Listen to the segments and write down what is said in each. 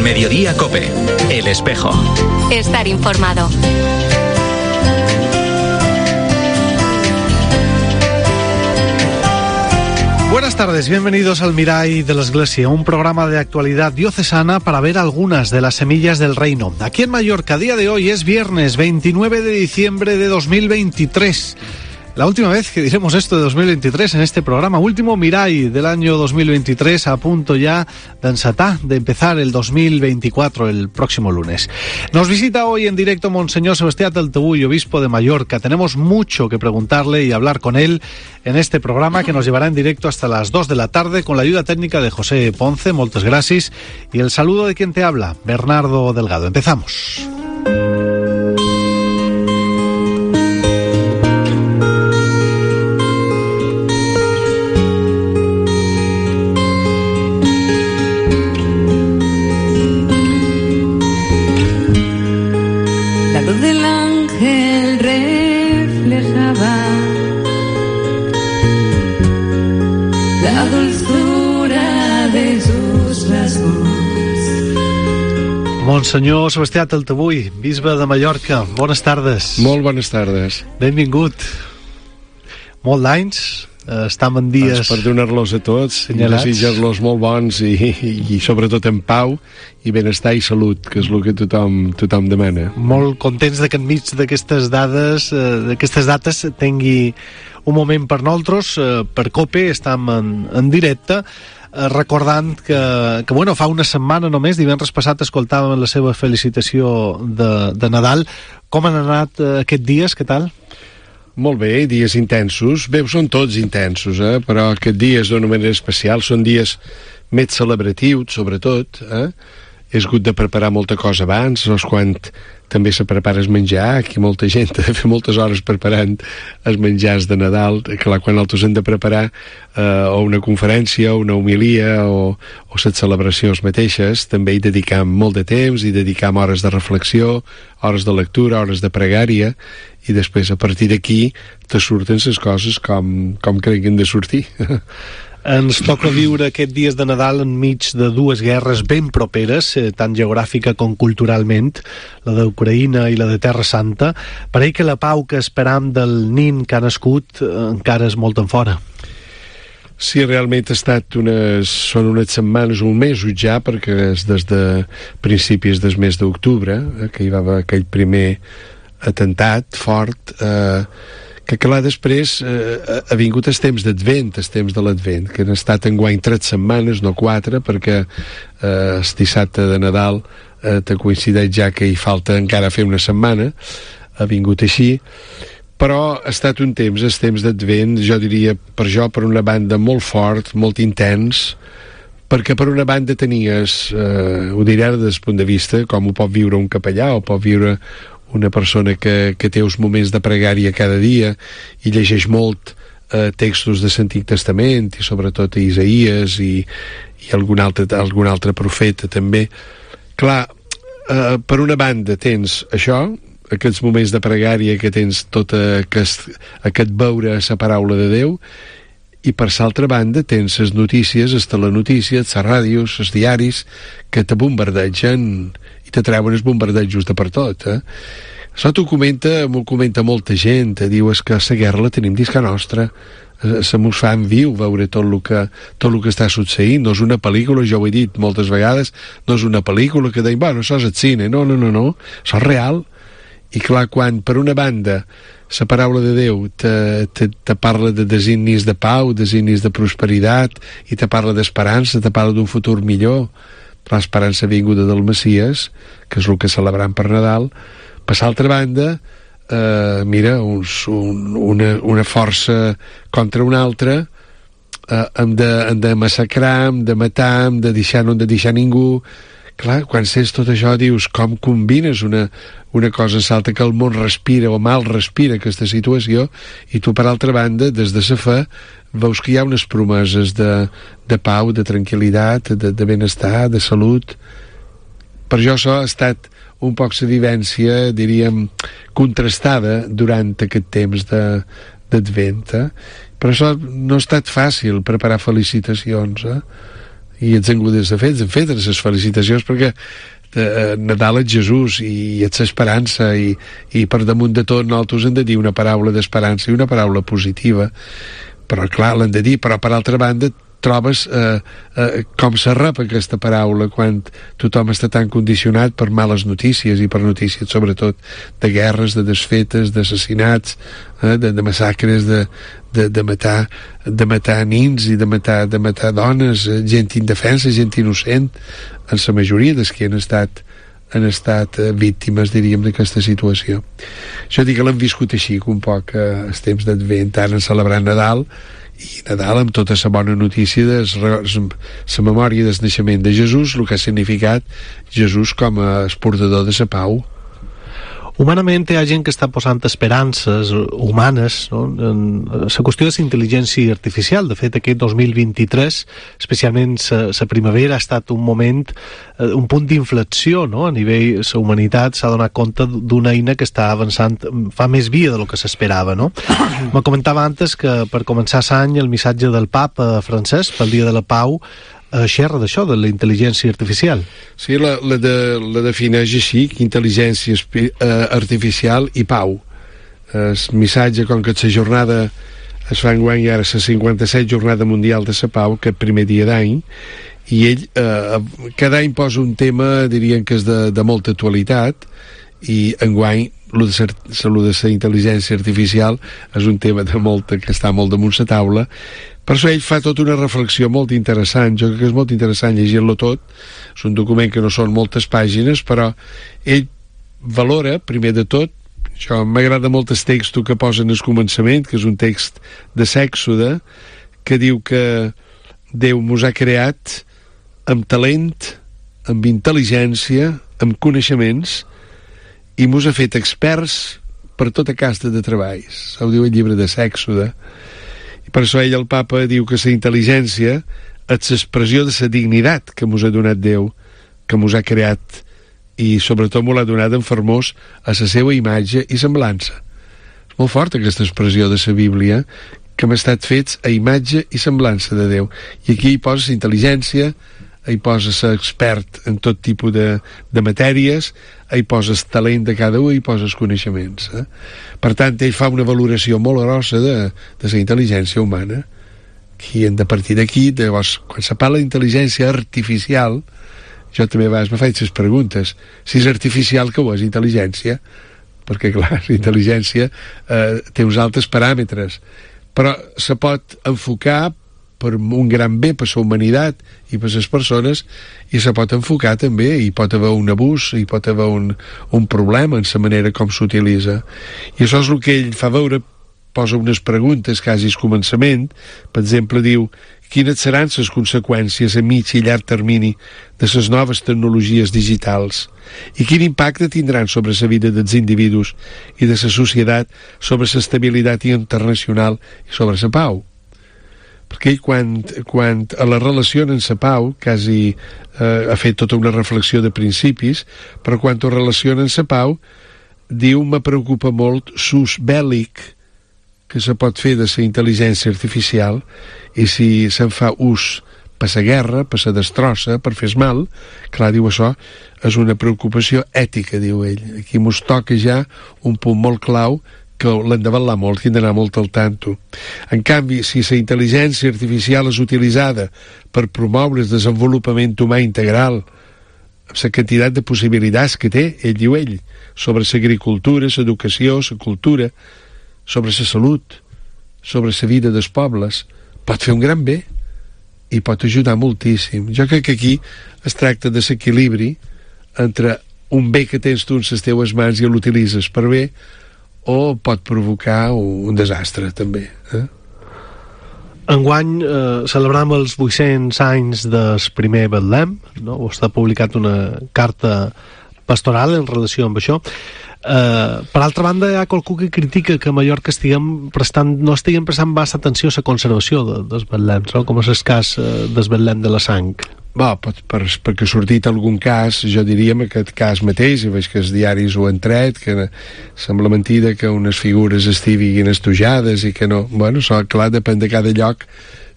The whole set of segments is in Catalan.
Mediodía COPE. El Espejo. Estar informado. Buenas tardes, bienvenidos al Mirall de la Iglesia, un programa de actualidad diocesana para ver algunas de las semillas del reino. Aquí en Mallorca, a día de hoy es viernes 29 de diciembre de 2023. La última vez que diremos esto de 2023 en este programa, último Mirall del año 2023, a punto ya de encetar, de empezar el 2024 el próximo lunes. Nos visita hoy en directo Monseñor Sebastián Taltebull, obispo de Mallorca. Tenemos mucho que preguntarle y hablar con él en este programa que nos llevará en directo hasta las 2 de la tarde con la ayuda técnica de José Ponce, moltes gràcies, y el saludo de quien te habla, Bernardo Delgado. Empezamos. Monsenyor Sebastià Taltebull, bisbe de Mallorca, bones tardes. Molt bones tardes. Benvingut. Molt d'anys, estem en dies... Per donar-los a tots, senyalats. I desitjar-los molt bons i sobretot en pau i benestar i salut, que és el que tothom demana. Molt contents de que enmig d'aquestes dates tingui un moment per nosaltres, per COPE, estem en directe, recordant que bueno, fa una setmana només, divendres passat, escoltàvem la seva felicitació de Nadal. Com han anat aquests dies? Què tal? Molt bé, dies intensos. Bé, són tots intensos, però aquests dies d'una manera especial són dies més celebratius, sobretot. He hagut de preparar molta cosa abans, quan també se prepara el menjar, aquí molta gent ha de fer moltes hores preparant els menjars de Nadal, clar, quan altres han de preparar o una conferència, o una homilia, o les celebracions mateixes, també hi dedicam molt de temps, hi dedicam hores de reflexió, hores de lectura, hores de pregària, i després a partir d'aquí te surten les coses com creguin de sortir. Ens toca viure aquests dies de Nadal enmig de dues guerres ben properes, tant geogràfica com culturalment, la d'Ucraïna i la de Terra Santa. Pareix que la pau que esperam del nin que ha nascut encara és molt en fora. Sí, realment són unes setmanes, un mes ja, perquè és des de principis del mes d'octubre, que hi va haver aquell primer atemptat fort, que clar, després ha vingut el temps d'Advent, el temps de l'Advent, que han estat enguany 3 setmanes, no 4, perquè el dissabte de Nadal te coincideix ja que hi falta encara fer una setmana, ha vingut així, però ha estat un temps, el temps d'Advent, jo diria, per una banda molt fort, molt intens, perquè per una banda tenies, ho diré des del punt de vista, com ho pot viure un capellà, o pot viure una persona que té uns moments de pregària cada dia i llegeix molt textos de l'Antic Testament i sobretot Isaïes i algun altre profeta també. Clar, per una banda tens això, aquests moments de pregària, que tens tot aquest veure la paraula de Déu, i per l'altra banda tens les notícies, les telenotícies, les ràdios, els diaris, que te bombardegen i te treuen els bombardejos de per tot. Això m'ho comenta molta gent, diu és que la guerra la tenim dins que nostra, se mos fa en viu veure tot el que està succeint, no és una pel·lícula, jo ho he dit moltes vegades, no és una pel·lícula que deim, bueno, això és el cine, no, això és real. I clar, quan per una banda la paraula de Déu te parla de designis de pau, designis de prosperitat, i te parla d'esperança, te parla d'un futur millor, l'esperança vinguda del Messies, que és el que celebrem per Nadal. Per l'altra banda, mira, una força contra una altra, hem de massacrar, hem de matar, hem de deixar, no hem de deixar ningú. Clar, quan sents tot això dius com combines una cosa amb l'altra, que el món respira o mal respira aquesta situació, i tu per altra banda des de la fe veus que hi ha unes promeses de pau, de tranquil·litat, de benestar, de salut. Per això ha estat un poc la vivència, diríem, contrastada durant aquest temps d'Advent. Per això no ha estat fàcil preparar felicitacions, i ets engludes de fets, en fet, les felicitacions, perquè Nadal és Jesús i és l'esperança, i per damunt de tot nosaltres hem de dir una paraula d'esperança i una paraula positiva, però clar, l'hem de dir, però per altra banda trobes com se rep aquesta paraula quan tothom està tan condicionat per males notícies, i per notícies sobretot de guerres, de desfetes, d'assassinats, de massacres, de matar nins i de matar dones, gent indefensa, gent innocent, en la majoria dels que han estat víctimes, diríem, d'aquesta situació. Això dic que l'hem viscut així, un poc els temps d'Advent, ara en celebrar Nadal, i Nadal amb tota la bona notícia de la memòria del naixement de Jesús, el que ha significat Jesús com a esportador de la pau. Humanament hi ha gent que està posant esperances humanes, no?, en la qüestió de la intel·ligència artificial. De fet, aquest 2023, especialment la primavera, ha estat un moment, un punt d'inflexió, no?, a nivell la humanitat s'ha donat compte d'una eina que està avançant, fa més via del que s'esperava, no? Me comentava antes que per començar l'any el missatge del papa francès pel Dia de la Pau xerra d'això, de la intel·ligència artificial. Sí, la defineix així, intel·ligència artificial i pau. El missatge, com que la jornada es fa enguany ara la 57 jornada mundial de la pau, que és primer dia d'any, i ell cada any posa un tema, diríem que és de molta actualitat, i enguany lo de la intel·ligència artificial és un tema que està molt damunt la taula. Per això ell fa tota una reflexió molt interessant. Jo crec que és molt interessant llegir-lo tot. És un document que no són moltes pàgines, però ell valora, primer de tot, això m'agrada molt el text que posa en el començament, que és un text de l'Èxode, que diu que Déu mos ha creat amb talent, amb intel·ligència, amb coneixements, i mos ha fet experts per tota casta de treballs. Ho diu el llibre de l'Èxode. I per això ell, el papa, diu que la intel·ligència és l'expressió de la dignitat que mos ha donat Déu, que mos ha creat, i sobretot mos l'ha donat en formós a la seva imatge i semblança. És molt forta aquesta expressió de la Bíblia, que hem estat fets a imatge i semblança de Déu. I aquí hi posa la intel·ligència, hi posa ser expert en tot tipus de matèries, hi posa el talent de cada un, hi posa els coneixements. Per tant, ell fa una valoració molt grossa de la intel·ligència humana, i hem de partir d'aquí. Llavors, quan se parla d'intel·ligència artificial, jo també a vegades me faig les preguntes: si és artificial, què ho és intel·ligència? Perquè, clar, la intel·ligència té uns altres paràmetres, però se pot enfocar per un gran bé per la humanitat i per les persones, i se pot enfocar també, hi pot haver un abús, hi pot haver un problema en la manera com s'utilitza. I això és el que ell fa veure, posa unes preguntes quasi al començament. Per exemple, diu: quines seran les conseqüències a mig i llarg termini de les noves tecnologies digitals, i quin impacte tindran sobre la vida dels individus i de la societat, sobre l'estabilitat internacional i sobre la pau? Perquè ell, quan a la relació en la pau, quasi ha fet tota una reflexió de principis, però quan ho relaciona en la pau, diu: me preocupa molt l'ús bèl·lic que se pot fer de la intel·ligència artificial, i si se'n fa ús per la guerra, per la destrossa, per fer mal, clar, diu, això és una preocupació ètica, diu ell. Aquí mos toca ja un punt molt clau, que l'hem de vetllar molt, que hem d'anar molt al tanto. En canvi, si la intel·ligència artificial és utilitzada per promoure el desenvolupament humà integral, amb la quantitat de possibilitats que té, ell diu sobre l'agricultura, l'educació, la cultura, sobre la salut, sobre la vida dels pobles, pot fer un gran bé i pot ajudar moltíssim. Jo crec que aquí es tracta de l'equilibri entre un bé que tens tu en les teves mans i l'utilitzes per bé, o pot provocar un desastre també. Enguany celebram els 800 anys del primer Betlem, no? Està publicat una carta pastoral en relació amb això. Per altra banda, hi ha qualcú que critica que a Mallorca no estiguem prestant massa atenció a la conservació dels Betlems, no? Com és el cas del Betlem de la Sang. perquè ha sortit algun cas, jo diria en aquest cas mateix, i veig que els diaris ho han tret, que sembla mentida que unes figures estiguin estujades i que no, bueno, clar, depèn de cada lloc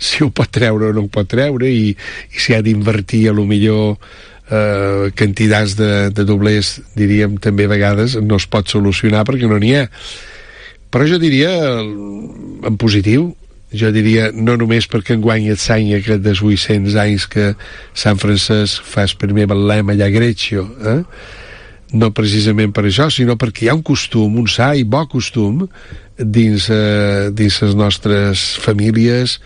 si ho pot treure o no ho pot treure, i si ha d'invertir a lo millor quantitats de doblers, diríem també a vegades no es pot solucionar perquè no n'hi ha. Però jo diria en positiu, jo diria no només perquè enguany et s'any aquest dels 800 anys que Sant Francesc fa el primer Betlem allà a Greccio, no precisament per això, sinó perquè hi ha un costum, un sa i bo costum dins les nostres famílies,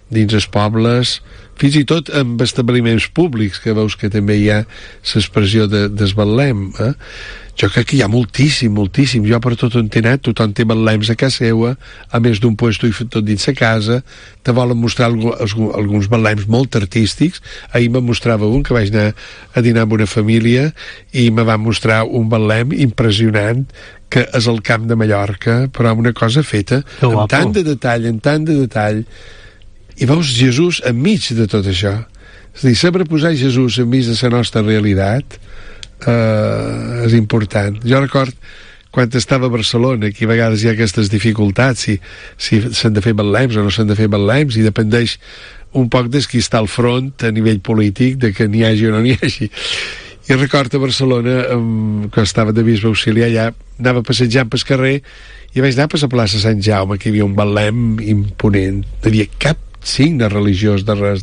dins els pobles, fins i tot amb establiments públics, que veus que també hi ha l'expressió del Betlem. Jo crec que hi ha moltíssim. Jo per tot on he anat, tothom té Betlems a casa seva, a més d'un puesto i tot dins a casa. Te volen mostrar alguns Betlems molt artístics. Ahir me mostrava un que vaig anar a dinar amb una família i me va mostrar un Betlem impressionant, que és el Camp de Mallorca, però una cosa feta amb tant de detall, i veus Jesús enmig de tot això. És a dir, saber posar Jesús enmig de la nostra realitat és important. Jo record quan estava a Barcelona, que a vegades hi ha aquestes dificultats, si s'han de fer Betlems o no s'han de fer Betlems, i dependeix un poc de qui està al front a nivell polític, de que n'hi hagi o no n'hi hagi. I record a Barcelona, quan estava de bisbe auxiliar allà, anava passejant pel carrer i vaig anar per la plaça Sant Jaume, que hi havia un Betlem imponent. No hi havia cap signe religiós de res.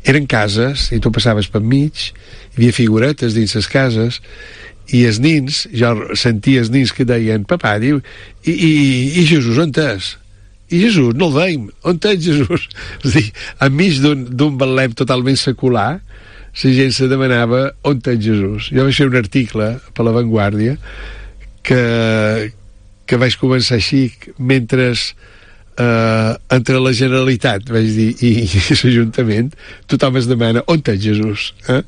Eren cases i tu passaves per mig, hi havia figuretes dins les cases, i els nins, jo sentia els nins que deien, papà, diu, i Jesús on és? I Jesús no el veiem, on és Jesús? És a dir, enmig d'un Betlem totalment secular, la gent se demanava on és Jesús. Jo vaig fer un article per La Vanguardia que vaig començar així, mentre entre la Generalitat, vaig dir, i l'Ajuntament, tothom es demana on és Jesús. La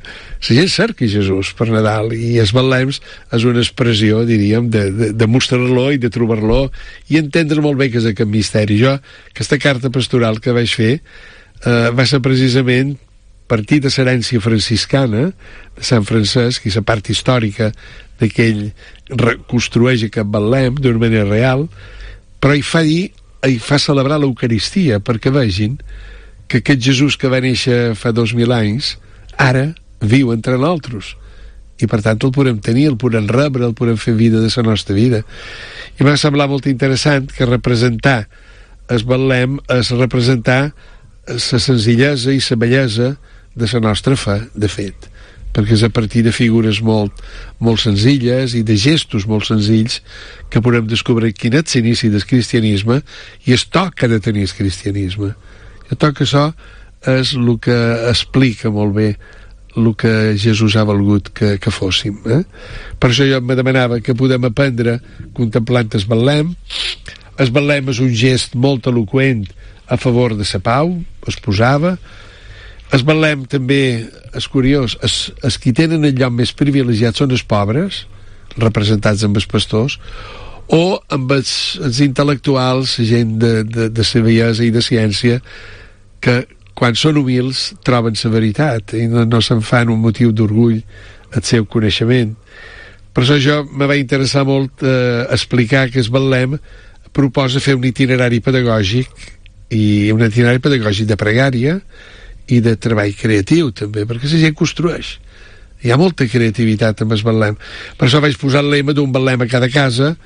gent cerca Jesús per Nadal, i els Betlems és una expressió, diríem, de mostrar-lo i de trobar-lo i entendre molt bé que és aquest misteri. Jo, aquesta carta pastoral que vaig fer va ser precisament partir de l'herència franciscana de Sant Francesc i la part històrica que ell reconstrueix aquest Betlem d'una manera real, però hi fa celebrar l'Eucaristia perquè vegin que aquest Jesús que va néixer fa 2000 anys ara viu entre nosaltres, i per tant el podem tenir, el podem rebre, el podem fer vida de la nostra vida. I m'ha semblat molt interessant que representar el Betlem és representar la senzillesa i la bellesa de la nostra fe, de fet, perquè és a partir de figures molt senzilles i de gestos molt senzills que podem descobrir quin és l'inici del cristianisme i el toc que ha de tenir el cristianisme. Jo crec que això és el que explica molt bé el que Jesús ha volgut que fóssim. Per això jo me demanava que podem aprendre contemplant el Betlem. El Betlem és un gest molt eloqüent a favor de la pau, es posava. El Betlem també és curiós, els qui tenen el lloc més privilegiat són els pobres, representats amb els pastors, o amb els intel·lectuals, gent de saviesa i de ciència, que quan són humils troben la veritat i no se'n fan un motiu d'orgull el seu coneixement. Per això jo me va interessar molt explicar que el Betlem proposa fer un itinerari pedagògic, i un itinerari pedagògic de pregària i de treball creatiu també, perquè la gent construeix. Hi ha molta creativitat amb el Betlem. Per això vaig posar el lema d'un Betlem a cada casa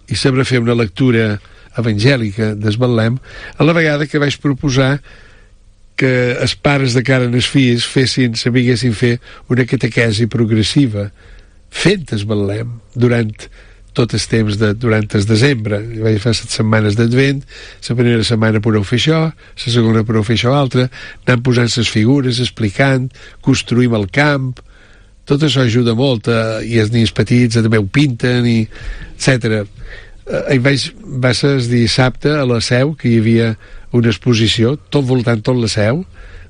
i saber fer una lectura evangèlica del Betlem, a la vegada que vaig proposar que els pares de cara als fills sabiguessin fer una catequesi progressiva fent el Betlem durant tot el temps durant el desembre. Vaig fer 7 setmanes d'Advent, la primera setmana podeu fer això, la segona podeu fer això altre, anant posant les figures, explicant, construïm el camp, tot això ajuda molt, i els nens petits també ho pinten, etc. Va ser el dissabte a la Seu, que hi havia una exposició, tot voltant tot la Seu,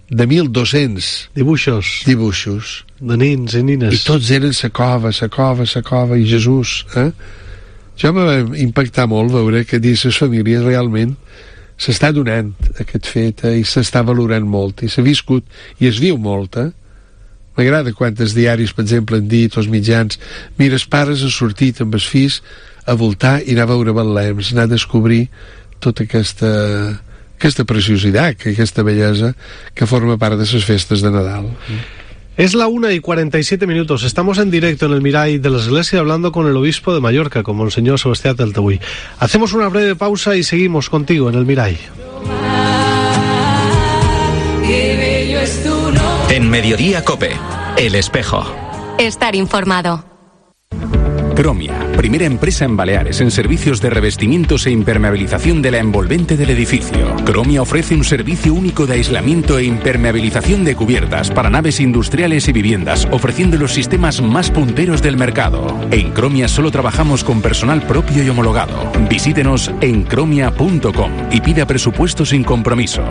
de 1.200 dibuixos de nins i nines, i tots eren sa cova i Jesús. Jo em va impactar molt veure que dins les famílies realment s'està donant aquest fet i s'està valorant molt i s'ha viscut i es viu molt. M'agrada quantes diaris, per exemple, han dit, els mitjans, mira, els pares han sortit amb els fills a voltar i anar a veure Betlehems, anar a descobrir tota aquesta preciositat, aquesta bellesa que forma part de les festes de Nadal. Es la 1:47. Estamos en directo en el Miray de la Iglesia hablando con el obispo de Mallorca, con Monseñor Sebastián Taltebuy. Hacemos una breve pausa y seguimos contigo en el Miray. En Mediodía COPE, El Espejo. Estar informado. Cromia, primera empresa en Baleares en servicios de revestimientos e impermeabilización de la envolvente del edificio. Cromia ofrece un servicio único de aislamiento e impermeabilización de cubiertas para naves industriales y viviendas, ofreciendo los sistemas más punteros del mercado. En Cromia solo trabajamos con personal propio y homologado. Visítenos en cromia.com y pida presupuesto sin compromiso.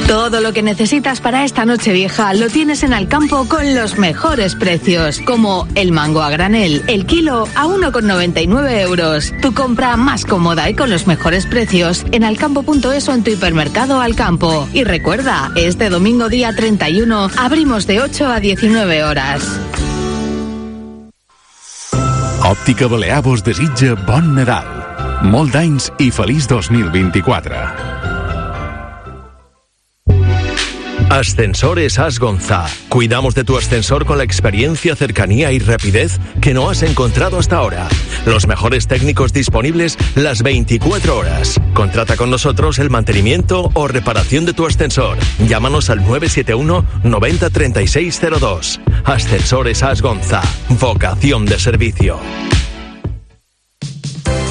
Todo lo que necesitas para esta Nochevieja lo tienes en Alcampo con los mejores precios, como el mango a granel, el kilo a 1,99 euros. Tu compra más cómoda y con los mejores precios en alcampo.es o en tu hipermercado Alcampo. Y recuerda, este domingo día 31 abrimos de 8 a 19 horas. Òptica Balear vos desitja bon Nadal, molt d'anys i feliç 2024. Ascensores Asgonza. Cuidamos de tu ascensor con la experiencia, cercanía y rapidez que no has encontrado hasta ahora. Los mejores técnicos disponibles las 24 horas. Contrata con nosotros el mantenimiento o reparación de tu ascensor. Llámanos al 971 90 3602. Ascensores Asgonza. Vocación de servicio.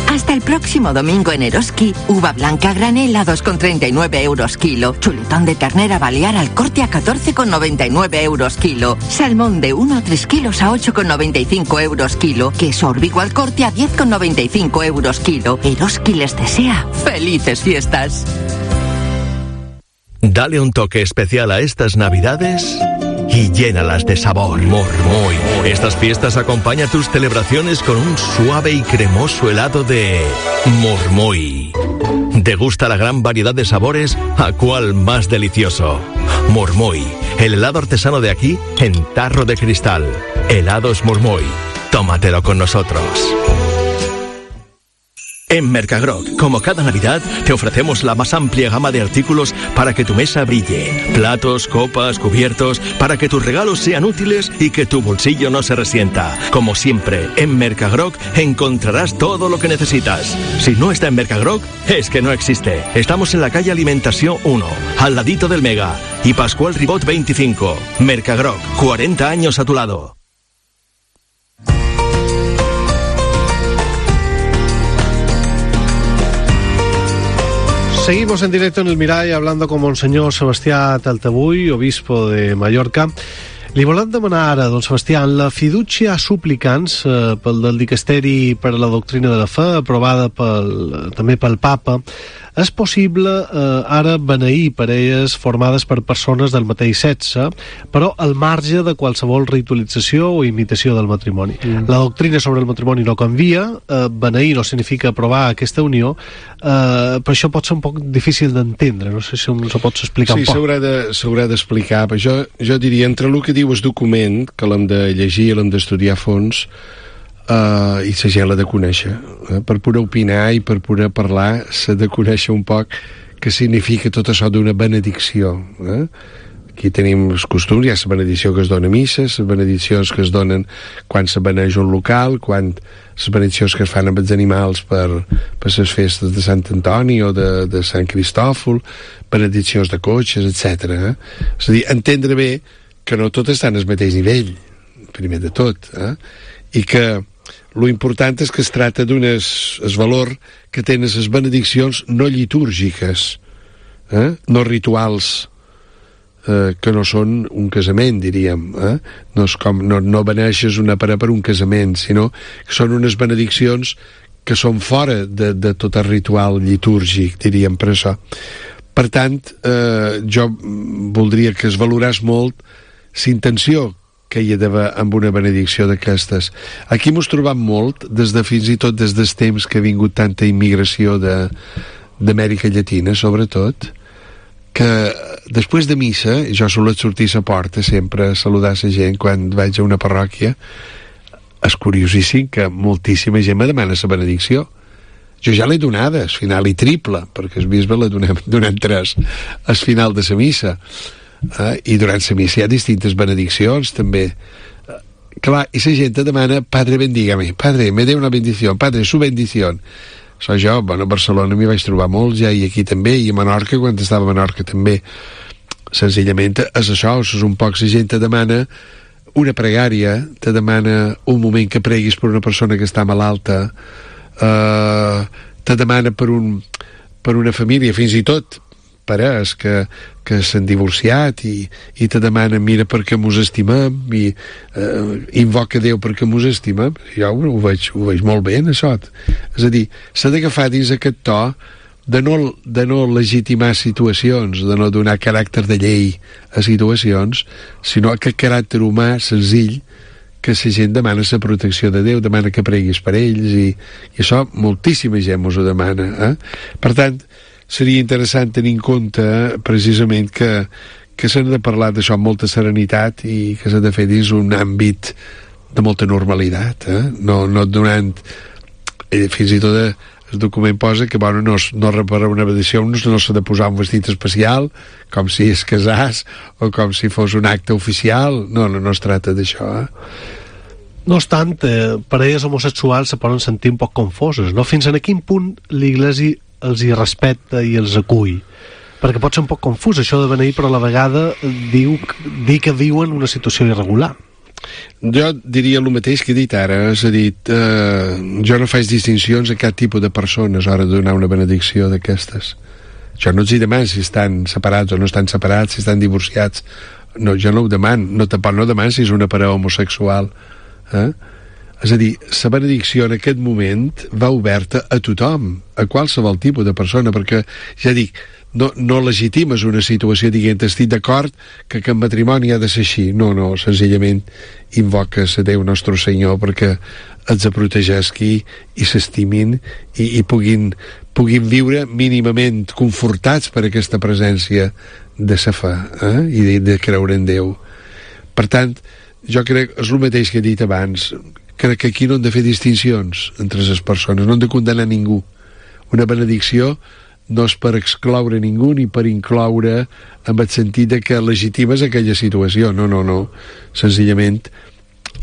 Hasta el próximo domingo en Eroski, uva blanca granel a 2,39 euros kilo, chuletón de ternera balear al corte a 14,99 euros kilo, salmón de 1 a 3 kilos a 8,95 euros kilo, queso orbigo al corte a 10,95 euros kilo. Eroski les desea felices fiestas. Dale un toque especial a estas Navidades y llénalas de sabor. Mormoy. Estas fiestas acompaña tus celebraciones con un suave y cremoso helado de Mormoy. Degusta la gran variedad de sabores, ¿a cuál más delicioso? Mormoy, el helado artesano de aquí en tarro de cristal. Helados Mormoy. Tómatelo con nosotros. En Mercagroc, como cada Navidad, te ofrecemos la más amplia gama de artículos para que tu mesa brille. Platos, copas, cubiertos, para que tus regalos sean útiles y que tu bolsillo no se resienta. Como siempre, en Mercagroc encontrarás todo lo que necesitas. Si no está en Mercagroc, es que no existe. Estamos en la calle Alimentación 1, al ladito del Mega, y Pascual Ribot 25. Mercagroc, 40 años a tu lado. Seguimos en directo en el Miray hablando con Monseñor Sebastián Taltebuy, obispo de Mallorca. Li volem demanar ara, don Sebastián, la fiducia supplicans pel del Dicasteri per a la doctrina de la fe, aprovada també pel Papa. És possible ara beneir parelles formades per persones del mateix sexe, però al marge de qualsevol ritualització o imitació del matrimoni. La doctrina sobre el matrimoni no canvia, beneir no significa aprovar aquesta unió, però això pot ser un poc difícil d'entendre, no sé si ens ho pots explicar un poc. Sí, s'haurà d'explicar, però jo diria, entre el que diu el document, que l'hem de llegir, l'hem d'estudiar a fons, i la gent l'ha de conèixer, per poder opinar i per poder parlar s'ha de conèixer un poc què significa tot això d'una benedicció. Aquí tenim els costums, hi ha la benedicció que es dona a misses, les benediccions que es donen quan se beneix un local, les benediccions que es fan amb els animals per les festes de Sant Antoni o de Sant Cristòfol, benediccions de cotxes, etc. És a dir, entendre bé que no tot està en el mateix nivell, primer de tot, i que lo important és que es tracta el valor que tenen les benediccions no litúrgiques, no rituals, que no són un casament, diríem. No és com, no beneixes una parella per un casament, sinó que són unes benediccions que són fora de tot el ritual litúrgic, diríem, per això. Per tant, jo voldria que es valorés molt la intenció que hi ha d'haver amb una benedicció d'aquestes. Aquí mos trobam molt, fins i tot des dels temps que ha vingut tanta immigració d'Amèrica Llatina, sobretot, que després de missa, jo solet sortir a la porta sempre a saludar la gent quan vaig a una parròquia. És curiosíssim que moltíssima gent me demana la benedicció. Jo ja l'he donada, al final i triple, perquè el bisbe l'ha donat 3 al final de la missa. I durant la missa hi ha distintes benediccions també. Clar, i la gent te demana: Padre, bendígame, Padre, me dé una bendición, Padre, su bendición. Això jo, bueno, a Barcelona m'hi vaig trobar molts ja, i aquí també, i a Menorca, quan estava a Menorca també. Senzillament és això, és un poc la gent te demana una pregària, te demana un moment que preguis per una persona que està malalta, te demana per una família, fins i tot parers que s'han divorciat i te demanen: mira perquè mos estimem, i invoca Déu perquè mos estimem. Jo ho veig molt bé en això. És a dir, s'ha d'agafar dins aquest to de no legitimar situacions, de no donar caràcter de llei a situacions, sinó aquest caràcter humà senzill que la gent demana la protecció de Déu, demana que preguis per ells, i això moltíssima gent mos ho demana. Per tant, seria interessant tenir en compte precisament que s'ha de parlar d'això amb molta serenitat i que s'ha de fer dins un àmbit de molta normalitat, no donant fins i tot el document posa que bueno, no reparar una benedicció, no s'ha de posar un vestit especial com si es casàs o com si fos un acte oficial. No es tracta d'això. No obstant, parelles homosexuals se poden sentir un poc confoses, no? Fins a quin punt l'Iglésia els hi respecta i els acull? Perquè pot ser un poc confús això de beneir, però a la vegada dir que viuen una situació irregular. Jo diria el mateix que he dit ara, és a dir, jo no faig distincions a cap tipus de persones a l'hora de donar una benedicció d'aquestes. Jo no els hi demano si estan separats o no estan separats, si estan divorciats. No, jo no ho demano, no demano si és una parella homosexual. És a dir, la benedicció en aquest moment va oberta a tothom, a qualsevol tipus de persona, perquè, ja dic, no legitimes una situació dient estic d'acord que el matrimoni ha de ser així. No, senzillament invoques a Déu Nostre Senyor perquè els protegeixi i s'estimin i puguin viure mínimament confortats per aquesta presència de la fe i de creure en Déu. Per tant, jo crec, és el mateix que he dit abans, crec que aquí no hem de fer distincions entre les persones, no hem de condenar ningú. Una benedicció no és per excloure ningú ni per incloure en el sentit de que legitimes aquella situació. No. Senzillament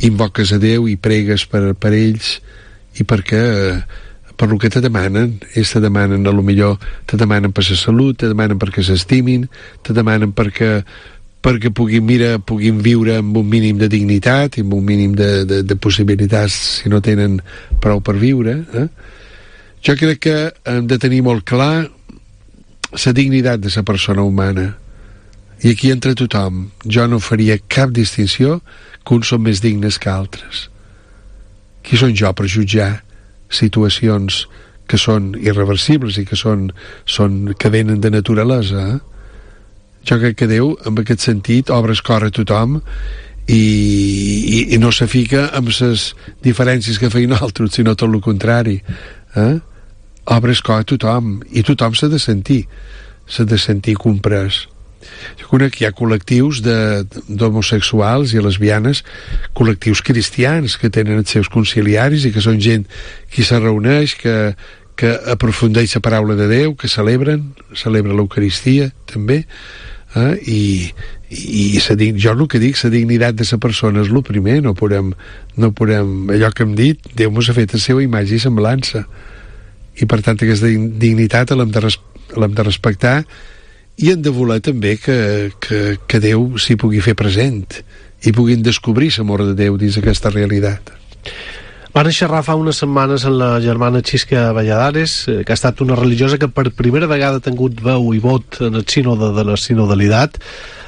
invoques a Déu i pregues per ells i perquè per el que te demanen. Ells te demanen, a lo millor te demanen per la salut, te demanen perquè s'estimin, te demanen perquè puguin viure amb un mínim de dignitat i amb un mínim de possibilitats si no tenen prou per viure. Jo crec que hem de tenir molt clar la dignitat de la persona humana, i aquí entra tothom. Jo no faria cap distinció que uns són més dignes que altres. Qui són jo per jutjar situacions que són irreversibles i que venen de naturalesa? Jo crec que Déu, en aquest sentit, obre el cor a tothom i no se fica amb les diferències que feien altres, sinó tot el contrari. Obre el cor a tothom i tothom s'ha de sentir comprès. Jo conec que hi ha col·lectius d'homosexuals i lesbianes, col·lectius cristians que tenen els seus conciliaris i que són gent que se reuneix, que aprofundeix la paraula de Déu, que celebra l'Eucaristia també, i jo el que dic, la dignitat de la persona és el primer. No podem, allò que hem dit, Déu mos ha fet la seva imatge i semblança, i per tant aquesta dignitat l'hem de respectar, i hem de voler també que Déu s'hi pugui fer present i puguin descobrir l'amor de Déu dins aquesta realitat. Va néixer fa unes setmanes en la germana Xisca Valladares, que ha estat una religiosa que per primera vegada ha tingut veu i vot en el sínode de la sinodalitat.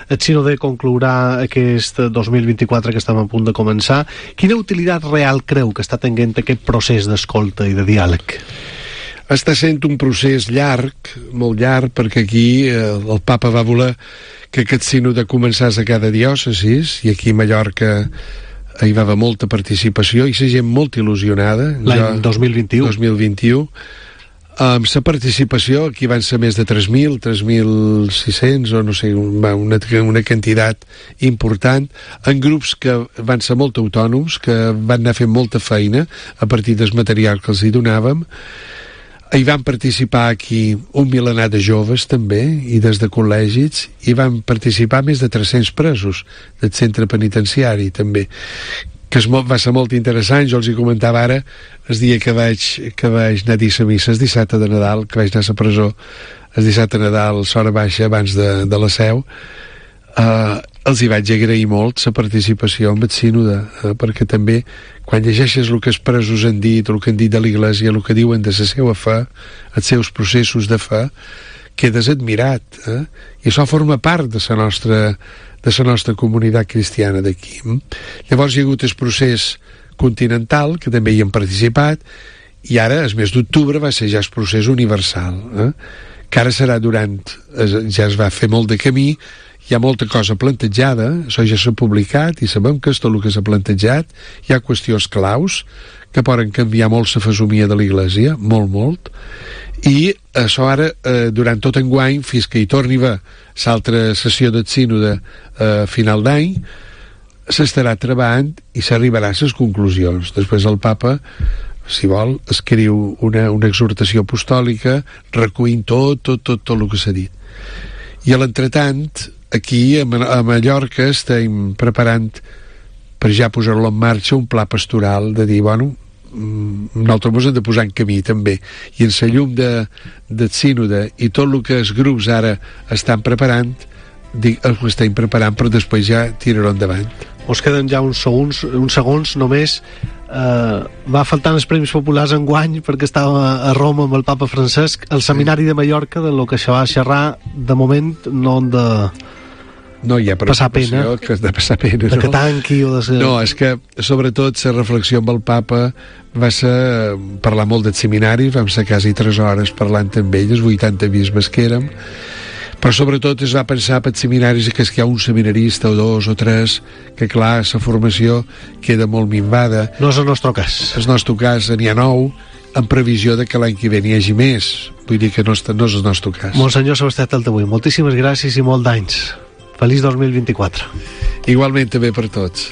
El sínode conclourà aquest 2024 que estem a punt de començar. Quina utilitat real creu que està tenint aquest procés d'escolta i de diàleg? Està sent un procés llarg, molt llarg, perquè aquí el papa va voler que aquest sínode començés a cada diòcesis, i aquí a Mallorca hi va haver molta participació i la gent molt il·lusionada. L'any 2021. Amb la participació aquí van ser més de 3.000, 3.600 o no sé, una quantitat important, en grups que van ser molt autònoms, que van anar fent molta feina a partir del material que els hi donàvem. Hi van participar aquí un milenar de joves també, i des de col·legis, i van participar més de 300 presos del centre penitenciari també, que va ser molt interessant. Jo els hi comentava ara el dia que vaig anar a dir la missa el dissabte de Nadal, que vaig anar a la presó el dissabte de Nadal, l'hora baixa abans de la seu. Els hi vaig agrair molt la participació en el sínode, perquè també quan llegeixes el que els presos han dit, el que han dit de l'Iglésia, el que diuen de la seva fe, els seus processos de fe, quedes admirat, i això forma part de la nostra comunitat cristiana d'aquí. Llavors hi ha hagut el procés continental, que també hi hem participat, i ara, el mes d'octubre, va ser ja el procés universal, que ara serà ja es va fer molt de camí, hi ha molta cosa plantejada, això ja s'ha publicat i sabem que és tot el que s'ha plantejat. Hi ha qüestions claus que poden canviar molt la fesomia de l'Iglésia, molt, i això ara, durant tot enguany, fins que hi torni a haver l'altra sessió del sínode a final d'any, s'estarà treballant i s'arribarà a les conclusions. Després el papa, si vol, escriu una exhortació apostòlica recollint tot el que s'ha dit. I a l'entretant, aquí a Mallorca estem preparant per ja posar-lo en marxa un pla pastoral de dir, bueno, nosaltres ens hem de posar en camí també, i en la llum del sínode i tot el que els grups ara estan preparant, ho estem preparant, però després ja tirarho endavant. Us queden ja uns segons només. Va faltant els Premis Populars enguany perquè estava a Roma amb el papa Francesc. El seminari de Mallorca, de lo que se va xerrar, de moment no han de... No hi ha passar pena, que has de passar pena, que tanqui o de ser... No, és que sobretot la reflexió amb el papa va ser parlar molt del seminari, vam ser quasi 3 hores parlant amb ell, els 80 bisbes que érem, però sobretot es va pensar per seminaris que hi ha un seminarista o 2 o 3, que clar, la formació queda molt minvada. No és el nostre cas. El nostre cas n'hi ha 9, en previsió de que l'any que ve n'hi hagi més. Vull dir que no és el nostre cas. Monsenyor Sebastià Taltabull, moltíssimes gràcies i molt d'anys. Feliç 2024. Igualment també per tots.